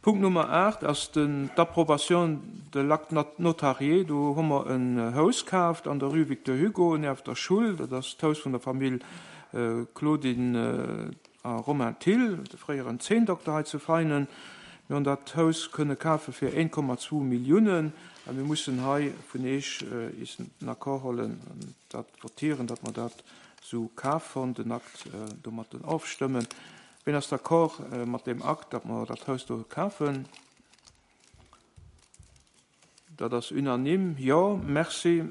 Punkt Nummer 8 ass den d'Approbation de l'acte notarié. Do hu mer en Haus kaaft an der Rue Victor Hugo, nieft der Schull. Dat ass d'Haus vun der Famill Claudine a Romain Thill, de fréieren Zeenndokter hei zu Veinen. Mir hunn dat Haus kënne kafe fir 1,2 Milliounen a mir mussen hei vun Eech is den Accord hollen an dat votieren, datt mer dat esou kafen, den Akt domatten ofstëmmen. Ween ass d'accord mat deem Akt, datt mer dat Haus do kafen? Dat ass unanime. Jo, merci.